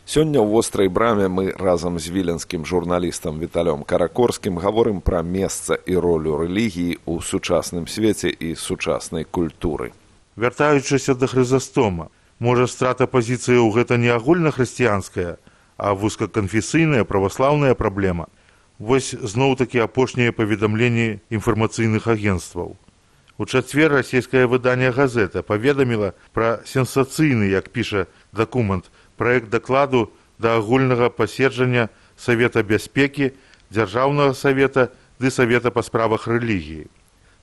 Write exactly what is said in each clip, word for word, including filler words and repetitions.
Сёння ў вострай браме мы разам з віленскім журналістам Віталём Каракорскім гаворым пра месца і ролю рэлігіі ў сучасным свеце і сучаснай культуры. Вяртаючыся да Хрызастома, можа страта пазіцыі ў гэта не агульнахрысціянская, а вузкаканфесійная праваслаўная праблема. Вось зноў-такі апошнія паведамленні інфармацыйных агенцтваў. У чацвер расійскае выданне «Газета» паведаміла пра сенсацыйны, як піша дакумент, праект дакладу да агульнага паседжання Савета бяспекі, Дзяржаўнага савета ды Савета па справах рэлігіі.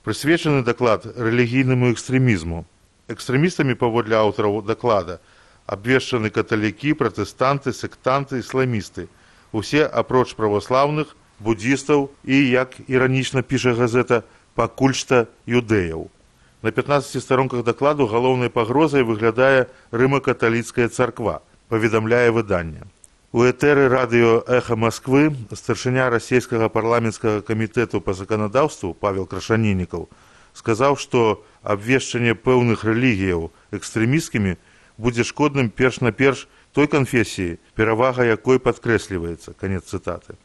Прысвечаны даклад рэлігійнаму экстрэмізму. Экстрэмістамі, паводле аўтараў даклада, абвешчаны каталікі, пратэстанты, сектанты, ісламісты. Усе апроч праваслаўных, буддістаў і, як іранічна піша «Газета», пакуль што юдэяў. На пятнаццаці старонках дакладу галоўнай пагрозай выглядае рыма-каталіцкая царква, паведамляе выданне. У этэры радыё «Эхо Москвы» старшыня расійскага парламенцкага камітэту па заканадаўству Павел Крашанінікаў сказаў, што абвешчанне пэўных рэлігіяў экстрэмісткімі будзе шкодным перш-наперш той канфесіі, перавага якой падкрэсліваецца. Канец цытаты.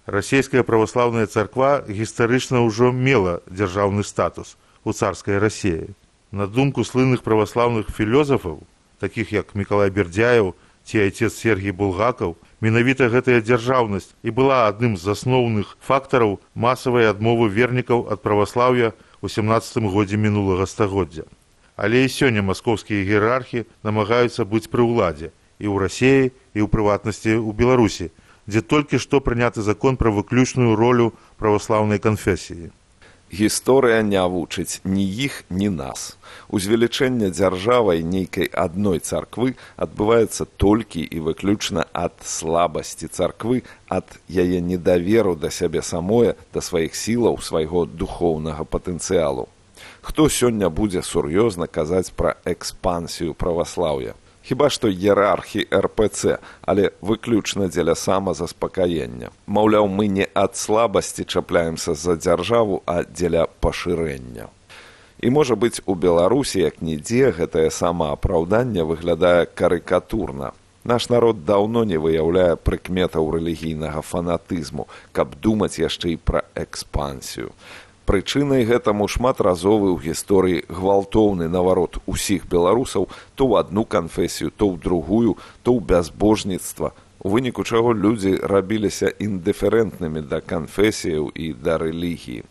Расійская праваслаўная царква гістарычна ўжо мела дзяржаўны статус у царскай Расіі. На думку слынных праваслаўных філёзафаў, такіх як Мікалай Бердзяеў ці айцец Сергій Булгакаў, менавіта гэтая дзяржаўнасць і была адным з асноўных фактараў масавай адмовы вернікаў ад праваслаўя ў сямнаццатым годзе мінулага стагоддзя. Але і сёння маскоўскія іерархі намагаюцца быць пры ўладзе і ў Расіі, і ў прыватнасці ў Беларусі, дзе толькі што прыняты закон пра выключную ролю праваслаўнай канфесіі. Гісторыя не вучыць ні іх, ні нас. Узвелічэнне дзяржавай нейкай адной царквы адбываецца толькі і выключна ад слабасці царквы, ад яе недаверу да сябе самое, да сваіх сілаў, свайго духоўнага патэнцыялу. Хто сёння будзе сур'ёзна казаць пра экспансію праваслаўя? Хіба што іерархі эр пэ цэ, але выключна дзеля самазаспакаення. Маўляў, мы не ад слабасці чапляемся за дзяржаву, а дзеля пашырэння. І, можа быць, у Беларусі, як нідзе, гэтае самаапраўданне выглядае карыкатурна. Наш народ даўно не выяўляе прыкметаў рэлігійнага фанатызму, каб думаць яшчэ і пра экспансію. Прычынай гэтаму шматразовы ў гісторыі гвалтоўны наварот усіх беларусаў то ў адну канфесію, то ў другую, то ў бязбожніцтва, у выніку чаго людзі рабіліся індыферэнтнымі да канфесіяў і да рэлігіі.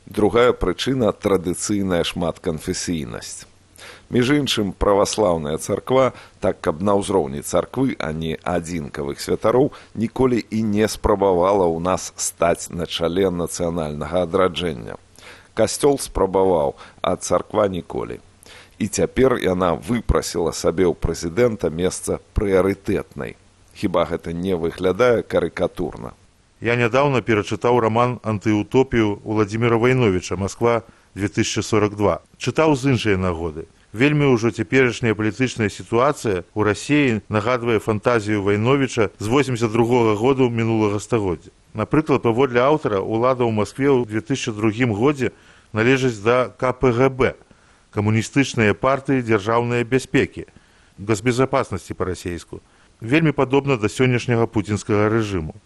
Другая прычына – традыцыйная шматканфесійнасць. Між іншым, праваслаўная царква, так каб на ўзроўні царквы, а не адзінкавых святароў, ніколі і не спрабавала ў нас стаць на чале нацыянальнага адраджэння. Касцёл спрабаваў, а царква ніколі. І цяпер яна выпрасіла сабе ў прэзідэнта месца прыярытэтнай. Хіба гэта не выглядае карыкатурна? Я нядаўна перачытаў раман «Антыутопію» Уладзіміра Вайновіча «Москва две тысячи сорок два». Чытаў з іншай нагоды. Вельмі ўжо цяперашняя палітычная сітуацыя ў Расіі нагадвае фантазію Вайновіча з восемьдесят другога году мінулага стагоддзя. Напрыклад, паводле аўтара, улада ў Маскве ў две тысячи другім годзе належыць да ка пэ гэ бэ, камуністычныя партыі дзяржаўнай бяспекі, госбезапаснасці па-расейску. Вельмі падобна да сённяшняга пуцінскага рэжыму.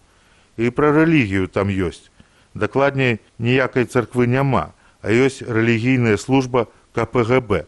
І пра рэлігію там ёсць. Дакладней, ніякай царквы няма, а ёсць рэлігійная служба ка пэ гэ бэ,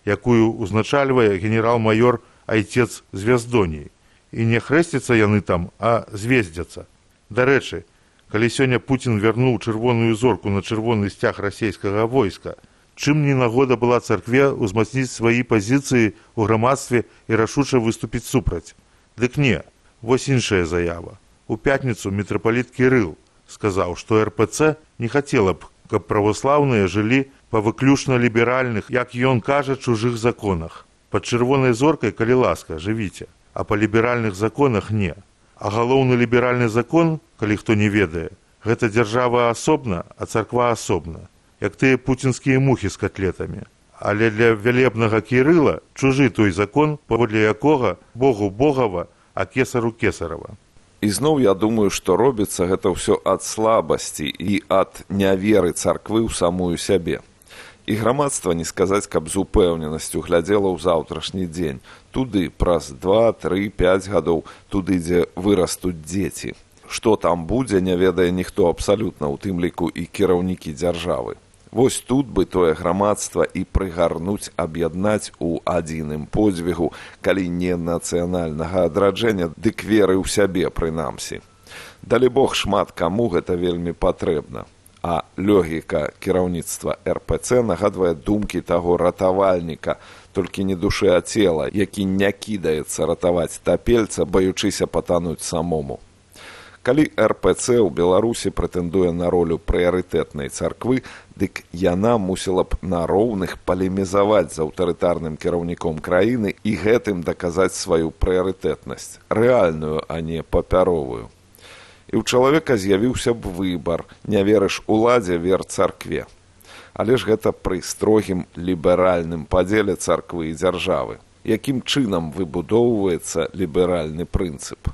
якую узначальвае генерал-майор айцец Звяздоній. І не хрэсцяцца яны там, а звездзяцца. Дарэчы, калі сёння Пуцін вярнуў чырвоную зорку на чырвоны сцяг расійскага войска, чым не нагода была царкве ўзмацніць свае пазіцыі ў грамадстве і рашуча выступіць супраць? Дык не, вось іншая заява. У пятніцу мітрапаліт Кірыл сказаў, што эр пэ цэ не хацела б, каб праваслаўныя жылі па выключна ліберальных, як ён кажа, чужых законах. Пад чырвонай зоркай, калі ласка, жывіце, а па ліберальных законах не. А галоўны ліберальны закон, калі хто не ведае, гэта дзяржава асобна, а царква асобна, як тыя пуцінскія мухі з котлетамі. Але для вялебнага Кірыла чужы той закон, паводле якога Богу Богава, а кесару кесарава. І зноў я думаю, што робіцца гэта ўсё ад слабасці і ад няверы царквы ў самую сябе. І грамадства, не сказаць, каб з упэўненасцю глядзела ў заўтрашні дзень. Туды праз два, тры, пяць гадоў, туды, дзе вырастуць дзеці. Што там будзе, не ведае ніхто абсалютна, у тым ліку і кіраўнікі дзяржавы. Вось тут бы тое грамадства і прыгарнуць, аб'яднаць у адзіным подзвігу, калі не нацыянальнага адраджэння, дык веры ў сябе прынамсі. Далі Бог, шмат каму гэта вельмі патрэбна. А логіка кіраўніцтва эр пэ цэ нагадвае думкі таго ратавальніка, толькі не душы, а цела, які не кідаецца ратаваць тапельца, баючыся патануць самому. Калі эр пэ цэ ў Беларусі прэтэндуе на ролю прыярытэтнай царквы, дык яна мусіла б на роўных палемізаваць з аўтарытарным кіраўніком краіны і гэтым даказаць сваю прыярытэтнасць, рэальную, а не папяровую. І ў чалавека з'явіўся б выбар, не верыш уладзе, вер царкве. Але ж гэта пры строгім ліберальным падзеле царквы і дзяржавы. Якім чынам выбудоўваецца ліберальны прынцып?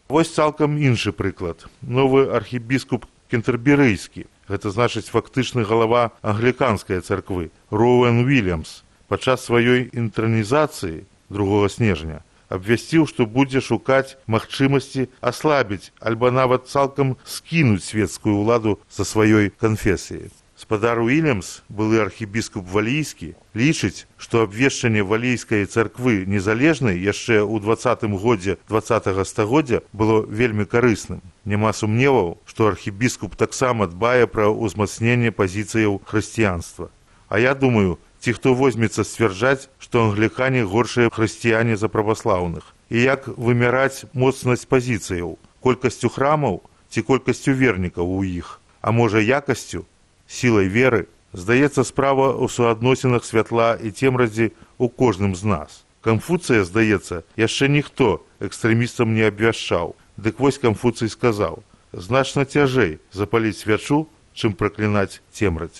Вось цалкам іншы прыклад. Новы архібіскуп кентэрберыйскі, гэта значыць фактычны галава англіканскай царквы, Роуэн Уільямс, падчас сваёй інтранізацыі другога снежня абвясціў, што будзе шукаць магчымасці аслабіць альбо нават цалкам скінуць свецкую ўладу са сваёй канфесіяй. Спадар Уільямс, былы архібіскуп валійскі, лічыць, што абвешчанне валійскай царквы незалежнай яшчэ ў дваццатым годзе дваццатага стагоддзя было вельмі карысным. Няма сумневаў, што архібіскуп таксама дбае пра ўзмацненне пазіцыяў хрысціянства. А я думаю, ці хто возьмецца сцвярджаць, што англікане горшыя хрысціяне за праваслаўных. І як вымяраць моцнасць пазіцыяў, колькасцю храмаў ці колькасцю вернікаў у іх, а можа якасцю, сілай веры, здаецца, справа ў суадносінах святла і цемрадзі ў кожным з нас. Канфуцыя, здаецца, яшчэ ніхто экстрэмістам не абвяшчаў. Дык вось Канфуцый сказаў: значна цяжэй запаліць свячу, чым праклінаць цемрадзь.